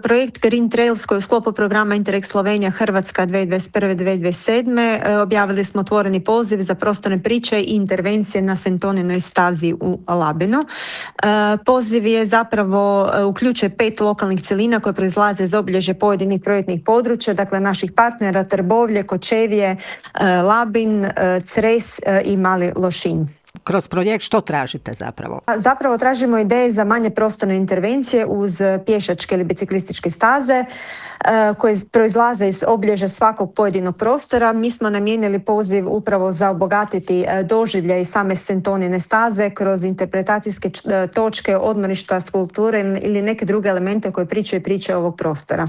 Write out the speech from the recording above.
projekt Green Trails koji je u sklopu programa Interreg Slovenija Hrvatska 2021-2027. Objavili smo otvoreni poziv za prostorne priče i intervencije na Sentoninoj stazi u Labinu. Poziv je zapravo uključuje 5 lokalnih cjelina koje proizlaze iz obilježja pojedinih projektnih područja, dakle naših partnera Trbovlje, Kočevje, Labin, Cres i Mali Lošinj. Kroz projekt što tražite zapravo? Zapravo tražimo ideje za manje prostorne intervencije uz pješačke ili biciklističke staze koje proizlaze iz obilježja svakog pojedinog prostora. Mi smo namijenili poziv upravo za obogatiti doživljaj same Sentonine staze kroz interpretacijske točke, odmorišta, skulpture ili neke druge elemente koje pričaju priče ovog prostora.